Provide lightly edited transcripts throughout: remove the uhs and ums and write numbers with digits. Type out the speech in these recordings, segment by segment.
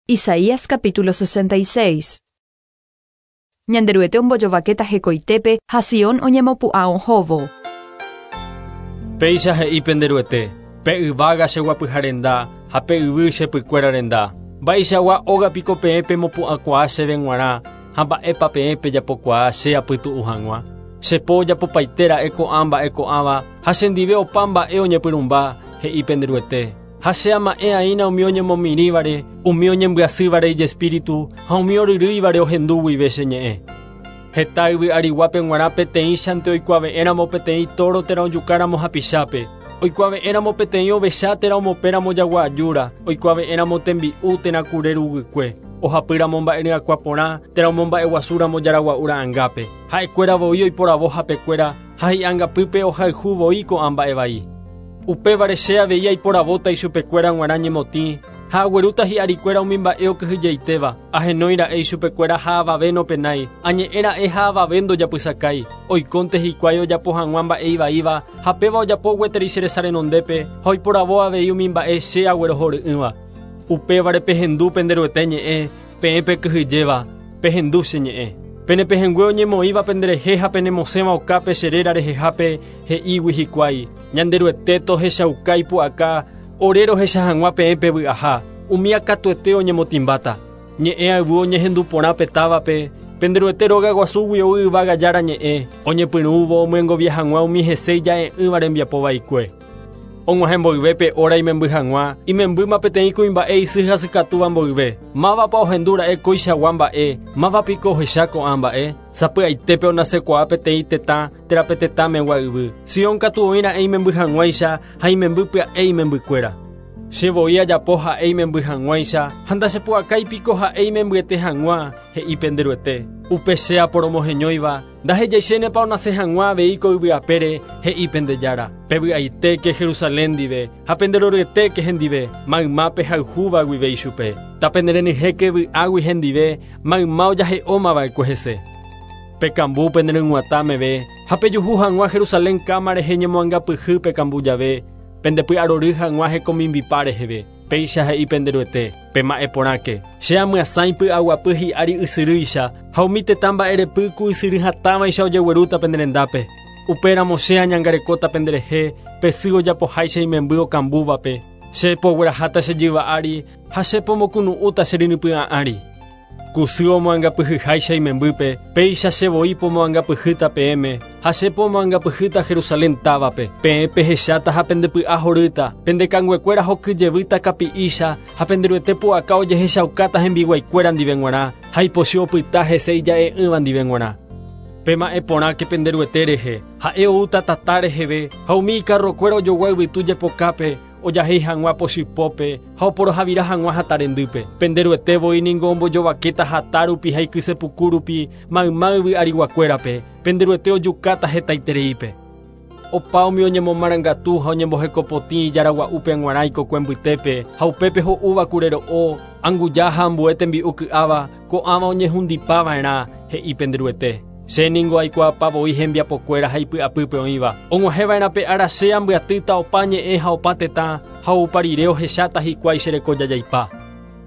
Isaías capítulo 66. Ñanderuete ombojovakéta hekoitépe ha Sion oñemopu'ã ohóvo. Péicha he'i pende Ruete, Pe yvága che guapyha renda ha pe yvy che pykuéra renda. Mba'eichagua óga piko peẽ pemopu'ãkuaa chéve g̃uarã ha mba'épa peẽ pejapokuaa che apytu'u hag̃ua? Che po ojapopaite ra'e ko'ã mba'e ko'ãva ha chendive opa mba'e oñepyrũmba, he'i pende Ruete. Ha che ama'ẽ aína umi oñemomirĩvare, umi oñembyasývare ijespíritu ha umi oryrýivare ohendu guive che ñe'ẽ. Heta yvy ariguápe g̃uarã peteĩchante oikuave'ẽramo peteĩ tóro térã ojukáramo hapichápe, oikuave'ẽramo peteĩ ovecha térã omopẽramo jagua ajúra, oikuave'ẽramo tembi'u térã kure ruguykue, ohapýramo mba'e ryakuã porã térã omomba'eguasúramo jaragua'u ra'angápe. Ha'ekuéra voi oiporavo hapekuéra ha hi'angapýpe ohayhu voi ko'ã mba'e vai. Upévare che avei aiporavóta ichupekuéra g̃uarã ñemotĩ, ha aguerúta hi'arikuéra umi mba'e okyhyjeitéva, ahenói ra'e ichupekuéra ha avave nopenái, añe'ẽ ra'e ha avave ndojapysakái, oikónte hikuái ojapo hag̃ua mba'e ivaíva, ha péva ojapo gueteri che resa renondépe, ha oiporavo avei umi mba'e che aguerohory'ỹva. Upévare pehendu pende Ruete ñe'ẽ, peẽ pekyhyjéva, pehendu che ñe'ẽ. Pene pehẽngue oñemoĩva penderehe ha penemosẽva okápe che réra rehehápe, he'ígui hikuái, Ñanderuete tohechauka ipu'aka ore rohecha hag̃ua peẽ pevy'aha, umía katuete oñemotĩmbáta. Ñe'ẽ ayvu oñehendu porã pe távape, pende Ruete róga guasúgui ou yvága Jára ñe'ẽ, oñepyrũvo omyengovia hag̃ua umi hese ija'e'ỹva rembiapo vaikue. Og̃uahẽ mboyve pe óra imemby hag̃ua, imembýma peteĩ kuimba'e isy hasykatúva mboyve. Mávapa ohendu ra'e koichagua mba'e? Máva piko ohecha ko'ã mba'e? Sapy'aitépe onasekuaa peteĩ tetã térã pe tetãmegua yvy. Sion katu oĩ ra'e imemby hag̃uáicha ha imemby pya'e imembykuéra. Che voi ajapo ha'e imemby hag̃uáicha ha ndachepu'akái piko ha'e imembyete hag̃ua, he'i pende Ruete. Upe che aporomoheñóiva, ndahejaichénepa onase hag̃ua avei ko yvy apére, he'i pende Jára. Pevy'aitéke Jerusalén ndive ha penderoryetéke hendive, mayma pehayhúva guive ichupe. Tapenerenyhẽke vy'águi hendive, mayma ojahe'óma va'ekue hese. Pekambu pene ryg̃uatã meve ha pejuhu hag̃ua Jerusalén káma rehe ñemoangapyhy pekambu jave, pende py'arory hag̃ua hekomimbipa reheve. Péicha he'i pende Ruete, Pema'ẽ porãke, che amyasãi py'aguapy hi'ári ysyrýicha, ha umi tetã mba'erepy ku ysyry hatãvaicha ojeguerúta pene rendápe. Upéramo che añangarekóta penderehe, pe sy ojapoháicha imemby okambúvape, che pogueraháta che jyva ári ha che pomokunu'ũta che rynypy'ã ári. Ku sy omoangapyhyháicha imembýpe, péicha che voi pomoangapyhýta peẽme, ha che pomoangapyhýta Jerusalén távape. Peẽ pehecháta ha pende py'a horýta, pende kanguekuéra hoky jevýta kapi'ícha, ha pende Ruete pu'aka ojehechaukáta hembiguaikuéra ndive g̃uarã, ha ipochy opyta hese ija'e'ỹva ndive g̃uarã. Pema'ẽ porãke pende Ruete rehe, ha'e oúta tata reheve, ha umi ikarrokuéra ojogua yvytu jepokápe, ojahéi hag̃ua pochypópe ha oporohavira hag̃ua hata rendýpe. Pende Ruete voi ningo ombojovakéta hata rupi ha ikyse puku rupi mayma yvy ariguakuérape, pende Ruete ojukáta hetaitereípe. Opa umi oñemomarangatu ha oñembohekopotĩ ijára gua'úpe g̃uarã ikokue mbytépe, ha upépe ho'úva kure ro'o, anguja ha ambue tembi'u ky'áva, ko'ãva oñehundipa va'erã, he'i pende Ruete. Che ningo aikuaapa voi hembiapokuéra ha ipy'apýpe oĩva. Og̃uahẽ va'erã pe ára che ambyatýta opa ñe'ẽ ha opa tetã, ha oupa rire ohecháta hikuái che reko jajaipa.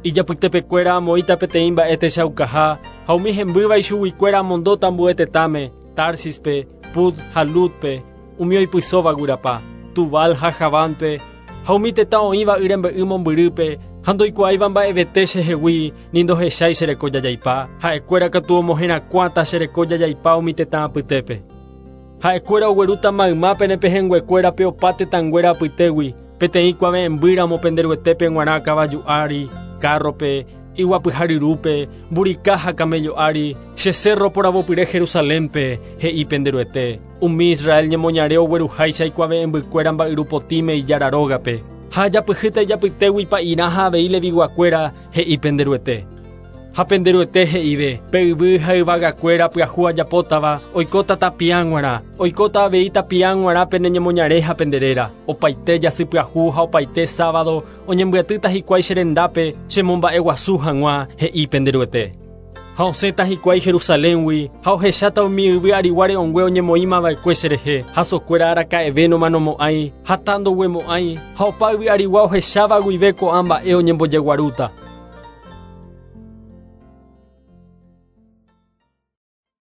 Ijapytepekuéra amoĩta peteĩ mba'e techaukaha, ha umi hembýva ichuguikuéra amondóta ambue tetãme, Társispe, Put ha Lúdpe, umi oipysóva guyrapa, Tubal ha Javánpe, ha umi tetã oĩva y rembe'y mombyrýpe ha ndoikuaáiva mba'evete chehegui ni ndohechái che reko jajaipa, ha'ekuéra katu omoherakuãta che reko jajaipa umi tetã apytépe. Ha'ekuéra oguerúta mayma pene pehẽnguekuérape opa tetãnguéra apytégui, peteĩ kuave'ẽmbýramo pende Ruetépe g̃uarã kavaju ári, kárrope, iguapyha ryrúpe, mburika ha kaméllo ári, che sérro poravopyre Jerusalénpe, he'i pende Ruete. Umi Israel ñemoñare ogueruháicha ikuave'ẽmbykuéra mba'yru potĩme Ijára rógape, ha ajapyhýta ijapytégui pa'irã ha avei Leviguakuéra, he'i pende Ruete. Ha pende Ruete he'ive, Pe yvy ha yvagakuéra pyahu ajapótava oikóta tapia g̃uarã, oikóta avei tapia g̃uarã pene ñemoñare ha pende réra. Opaite jasy pyahu ha opaite sábado oñembyatýta hikuái che rendápe chemomba'eguasu hag̃ua, he'i pende Ruete. Ha osẽta hikuái Jerusaléngui, ha ohecháta umi yvy arigua re'õngue oñemoĩma va'ekue cherehe, hasokuéra araka'eve nomanomo'ãi, hata ndoguemo'ãi, ha opa yvy arigua ohecháva guive ko'ã mba'e oñembojeguarúta.